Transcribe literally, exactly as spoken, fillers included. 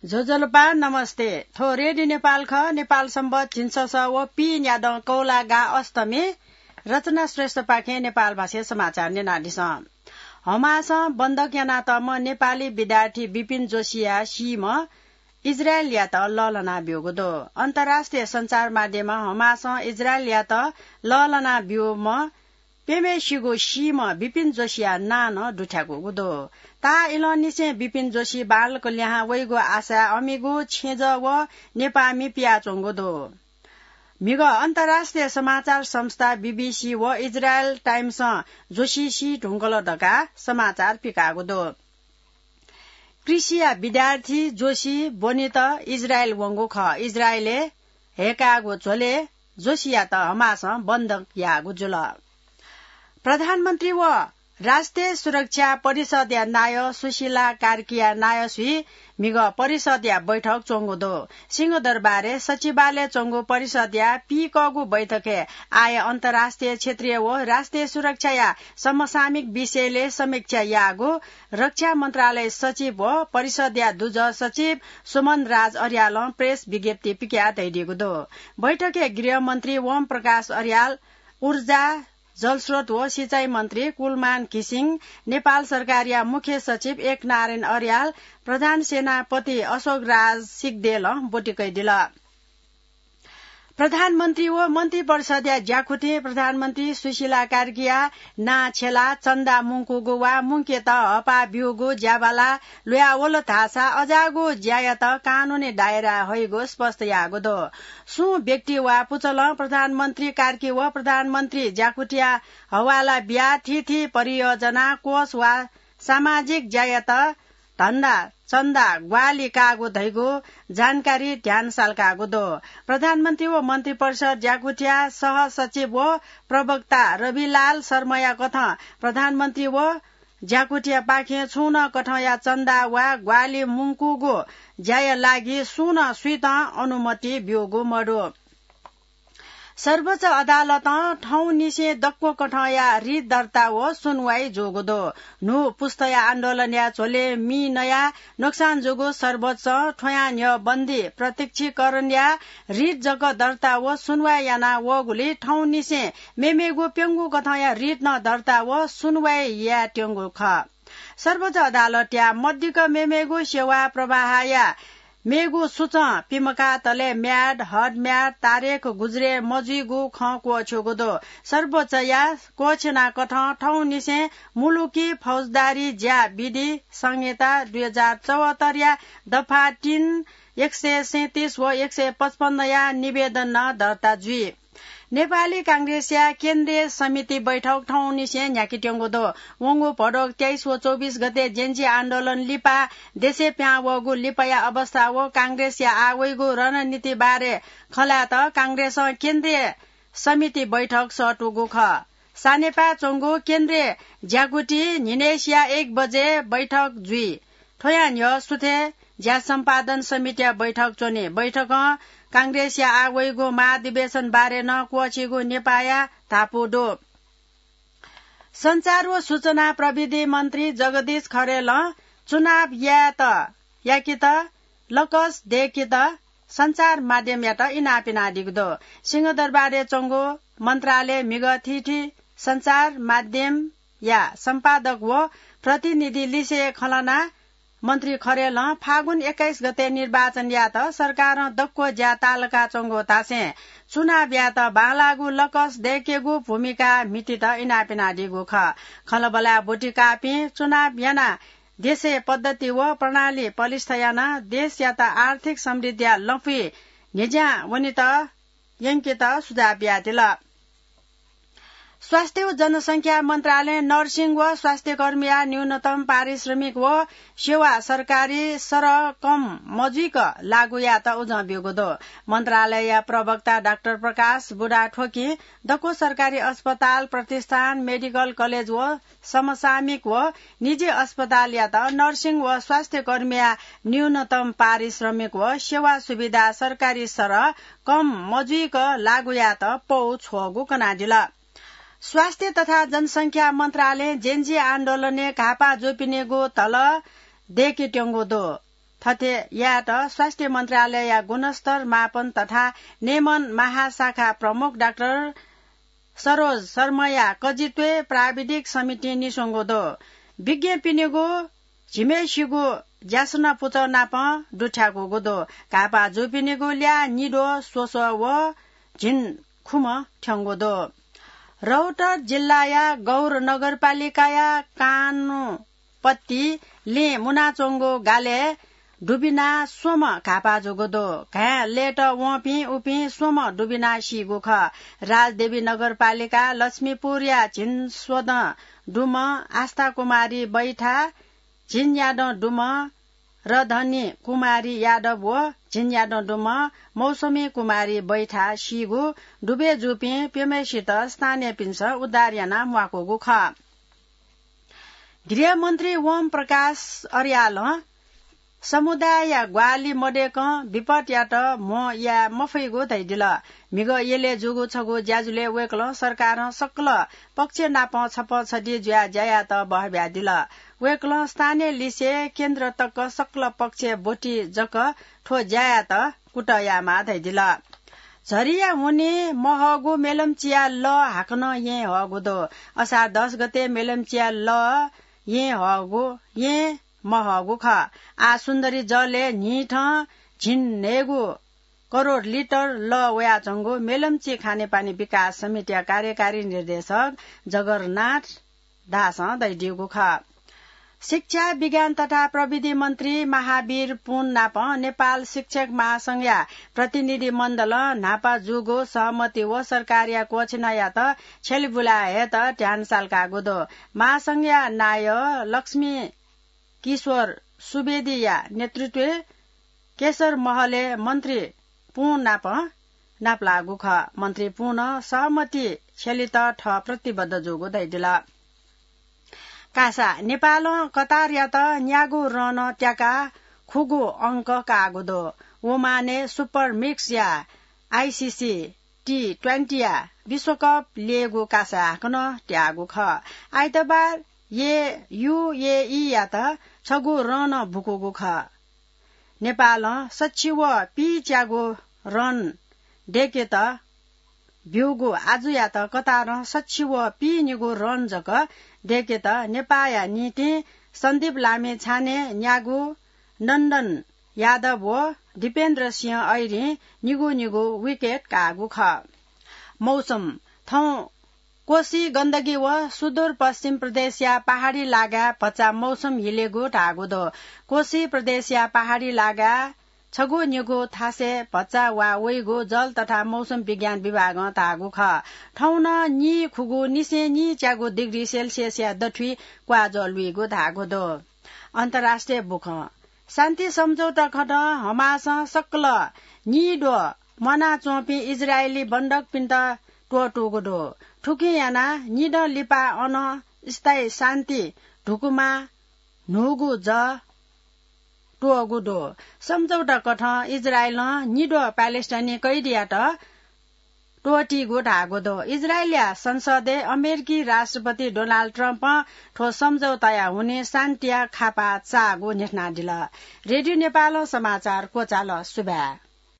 ज्वजलपा, नमस्ते। थ्व रेडियो नेपाल खः। नेपाल सम्बत झिंछसः व पीन्यादँ कौलागा अष्टमी। रचना श्रेष्ठपाखें नेपाल भाषाय् समाचार न्यनादिसँ। हमासं बन्दक यानातःम्ह नेपाली विद्यार्थी विपिन जोशीया सीम्ह इजरायलयात लःल्हाना ब्यूगु दु। अन्तर्राष्ट्रिय सञ्चार माध्यमं हमासं इजरायलयात लःल्हाना ब्यूम्ह प्यम्हेसिगु सीम्ह विपिन जोशीया नां नं दुथ्याकूगु दु। ताः इलंनिसें विपिन जोशी बांलाक लिहां वइगु आशाय् अमिगु छेँजः व नेपाःमि पियाच्वंगु दु। म्हिगः अन्तर्राष्ट्रिय समाचार संस्था बीबीसी व इजरायल टाइम्सं जोशी सी धुंकल धकाः समाचार पिकाःगु दु। कृषिया विद्यार्थी जोशी ब्वनेत इजरायल वंगु खः। इजरायलय् हय्‌काःगु झ्वलय् जोशीयात हमासं बन्दक याःगु जुल। प्रधानमन्त्री व राष्ट्रिय सुरक्षा परिषदया नायः सुशीला कार्कीया नायःसुइ म्हिगः परिषदया बैठक च्वंगु दु। सिंहदरबारय् सचिवालय च्वंगु परिषदया पीकःगु बैठकय् आः अन्तर्राष्ट्रिय, क्षेत्रीय व राष्ट्रिय सुरक्षाया समसामयिक विषयलय् समीक्षा याःगु रक्षा मन्त्रालय सचिव व परिषदया दुजः सचिव सुमन राज अर्यालं प्रेस विज्ञप्ति पिकयाः धयादीगु दु। बैठकय् गृहमन्त्री ओम प्रकाश अर्याल, ऊर्जा, जलस्रोत व सिँचाइ मन्त्री कुलमान घिसिङ, नेपाल सरकारया मुख्य सचिव एकनारायण अर्याल, प्रधान सेनापति अशोक राज सिग्देलं ब्वति कयादिल। प्रधानमन्त्री व मन्त्री परिषदया ज्याकुथिं प्रधानमन्त्री सुशीला कार्कीया नां छ्यलाः चन्दा मुंकूगु वा मुंकेत हःपाः ब्यूगु ज्याबाला ल्वयावल धाःसा अज्याःगु ज्यायात कानूनी दायराय् हइगु स्पष्ट याःगु दु। सुं व्यक्ति वा पुचलं प्रधानमन्त्री कार्की व प्रधानमन्त्री ज्याकुथिया हवाला बियाः थीथी परियोजना, कोष वा सामाजिक ज्यायात धन्दा, चन्दा, ग्वाहालि काःगु धइगु जानकारी ध्यान सालकाःगु दु। प्रधानमन्त्री व मन्त्रिपरिषद ज्याकुथिया सहसचिव व प्रवक्ता रविलाल शर्माया कथं प्रधानमन्त्री व ज्याकुथियापाखें छुं नं कथंया चन्दा वा ग्वाहालि मुंकूगु ज्याया लागि सुं नं सुइतं अनुमति ब्यूगु मदु। सर्वोच्च अदालतं थौंनिसें दक्व कथंया रिट दर्ता व सुनवाई जूगु दु। न्हू पुस्ताया आन्दोलनया झ्वलय् मि नयाः नोक्सान जूगु सर्वोच्चं थ्वयां न्ह्यः बन्दी प्रत्यक्षीकरणया रिट जक दर्ता व सुनवाई याना वःगुलिं थौंनिसें मेमेगु प्यंगू कथंया रिट नं दर्ता व सुनवाई यायेत्यंगु खः। सर्वोच्च अदालतया मदिक्क मेमेगु सेवा प्रवाहया मेगु सूचं पिमकातले म्याद, हद म्याद, तारेख गुज्रे मजुइगु खँ क्वःछ्यूगु दु। सर्वोच्चया क्वःछ्यना कथं थौंनिसें मुलुकी फौजदारी ज्या विधि संहिता दुई हजार चौहत्तरया दफा तीन, एक सय सैंतीस व एक सय पचपन्नया निवेदन नं दर्ता जुइ। नेपाली कांग्रेसया केन्द्रीय समिति बैठक थौंनिसें न्ह्याकेत्यंगु दु। वंगु भदौ तेइस व चौबिस गते जेन्जी आन्दोलन लिपा देशय् पिहां वःगु लिपाया अवस्था व कांग्रेसया आः वइगु रणनीति बारे खँ ल्हायेत कांग्रेसं केन्द्रीय समिति बैठक सःतूगु खः। सानेपाय् च्वंगु केन्द्रीय ज्याकुथि न्हिनय्सिया एक बजे बैठक जुइ। थ्वयां न्ह्यः सुथय् ज्या सम्पादन समितिया बैठक च्वनी। बैठकं कांग्रेसया आः वइगु महाधिवेशन बारे नं क्वःछीगु नेपाःया धापू दु। सञ्चार व सूचना प्रविधि मन्त्री जगदीश खरेलं चुनाव यायेत, याकेत, लकस दय्केत सञ्चार माध्यमयात इनाप यानादीगु दु। सिंहदरबारय् च्वंगु मन्त्रालय म्हिगः थीथी सञ्चार माध्यमया सम्पादक व प्रतिनिधि लिसें खँ ल्हानाः मन्त्री खरेलं फागुन एक्काइस गते निर्वाचन यायेत सरकारं दक्व ज्या ताःलाकाच्वंगु धासें चुनाव यायेत बांलाःगु लकस दय्केगु भूमिका म्हितीत इनाप यानादीगु खः। खँल्हाबल्हाय् ब्वति काःपिं चुनाव यानाः देशय् पद्धति व प्रणाली पलिस्था यानाः देशयात आर्थिक समृद्धिया लँपुइ न्ह्यज्यां वनेत यंकेत सुझाव बियादिल। स्वास्थ्य व जनसंख्या मन्त्रालयं नर्सिङ व स्वास्थ्यकर्मीया न्यूनतम पारिश्रमिक व सेवा सरकारी सरह कम मजुइक लागू यायेत उजं ब्यूगु दु। मन्त्रालयया प्रवक्ता डाक्टर प्रकाश बुढाथोकीं दक्व सरकारी अस्पताल, प्रतिष्ठान, मेडिकल कलेज व समसामयिक व निजी अस्पतालयात नर्सिङ व स्वास्थ्यकर्मीया न्यूनतम पारिश्रमिक व सेवा सुविधा सरकारी सरह कम मजुइक लागू यायेत पौ छ्वःगु कनादिल। स्वास्थ्य तथा जनसंख्या मन्त्रालयं जेन्जी आन्दोलनय् घाःपाः जूपिनिगु धलः दय्केत्यंगु दु। थथे यायेत स्वास्थ्य मन्त्रालयया गुणस्तर मापन तथा नियमन महाशाखा प्रमुख डाक्टर सरोज शर्माया कजित्वय् प्राविधिक समितिं निस्वंगु दु। विज्ञपिनिगु झिम्हेसिगु ज्यासना पुचः नाप दुथ्याकूगु दु। घाःपाः जूपिनिगु ल्याः निद्वः स्वस्वः व झिंखुम्ह थ्यंगु दु। रौतहट जिल्लाया गौर नगरपालिकाया कानुपत्ति लँय् मुनाच्वंगु गालय् दुबिना स्वम्ह घाःपाः जूगु दु। घाँय् लयेत वंपिं उपिं स्वम्ह दुबिना सीगु खः। राजदेवी नगरपालिका लक्ष्मीपुरया झिंस्वदँ दुम्ह आस्था कुमारी बैठा, झिंयादँ दुम्ह रधनी कुमारी यादव व झिंयादँ दुम्ह मौसमी कुमारी बैठा सीगु दुबय् जूपिं प्यम्हेसित स्थानीयपिन्सं उद्धार यानाः म्वाकूगु खः। गृहमन्त्री ओम प्रकाश अर्यालं समुदायया ग्वाहालि मदय्कं विपदयात म्हो याये मफइगु धयादिल। म्हिगः यलय् जूगु छगू ज्याझ्वलय् वय्कलं सरकारं सकल पक्ष नाप छपः छधी जुयाः ज्या यायेत बहःबियादिल। वय्कलं स्थानीय लिसे केन्द्र तक सकल पक्षय् ब्वति जक थ्व ज्या यायेत कुतः यायेमाः धयादिल। झरीया हुनिं महःगु मेलम्चीया लः हाकनं येँ हःगु दु। असार दस गते मेलम्चीया लः येँ हःगु, येँ महःगु खः। आः सुन्दरी जलय् न्हिथं झिंन्हय्गू करोड लिटर लः वयाच्वंगु मेलम्ची खानेपानी विकास समितिया कार्यकारी निर्देशक जगरनाथ दासं धयादीगु खः। शिक्षा, विज्ञान तथा प्रविधि मन्त्री महावीर पुन नाप नेपाल शिक्षक महासंघया प्रतिनिधि मण्डलं न्हापा जूगु सहमति व सरकारया क्वःछिनायात छ्यलेबुलाय् हयेत ध्यान सालकाःगु दु। महासंघया नायः लक्ष्मी किशोर सुवेदीया नेतृत्वय् केशर महलय् मन्त्री पुं नाप नापलाःगु खः। मन्त्री पुनं सहमति छ्यलेत थः प्रतिबद्ध जूगु धयादिल। कासा, नेपालं कतारयात न्यागू रन त्याकाः खुगू अंक काःगु दु। ओमानय् सुपर मिक्सया आइसिसी टी ट्वेन्टीया विश्वकप ल्ययेगु कासा हाकनं त्याःगु खः। आइतबार ये युएईयात छगू रन बुकूगु खः। नेपालं सच्छि व पीच्यागू रन दय्केत ब्यूगु आजुयात कतारं सच्छि व पीनिगू रन जक दय्केत नेपाःया निंतिं सन्दीप लामिछाने न्यागू, नन्दन यादव व दीपेन्द्र सिंह ऐरीं निगू निगू विकेट काःगु खः। मौसम, थौं कोशी गण्डकी व सुदूरपश्चिम प्रदेशया पहाडी लागाय् भचा मौसम हिलेगु धाःगु दु। कोशी प्रदेशया पहाडी लागाय् छगू निगू थासय् भचा वा वइगु जल तथा मौसम विज्ञान विभागं धाःगु खः। थौं नं निं खुगू निसें निच्यागू डिग्री सेल्सियसया दथुइ क्वाःज्वः लुइगु धाःगु दु। अन्तर्राष्ट्रिय बुखँ। शान्ति सम्झौता खँतं हमासं सकल निद्वः म्वानाच्वंपिं इजरायली बन्धकपिन्त त्वःतूगु दु। थुकिं यानाः निदँ लिपा अन स्थायी शान्ति धुकुमा न्हूगु जः त्वःगु दु। सम्झौता कथं इजरायलं निद्वः प्यालेस्टाइनी कैदीयात त्वःतीगु धाःगु दु। इजरायलया संसदय् अमेरिकी राष्ट्रपति डोनाल्ड ट्रम्पं थ्व सम्झौताया हुनिं शान्तिया खापा चाःगु न्ह्यथनादिल। रेडियो नेपालं समाचार क्वचाल। सुभाय्।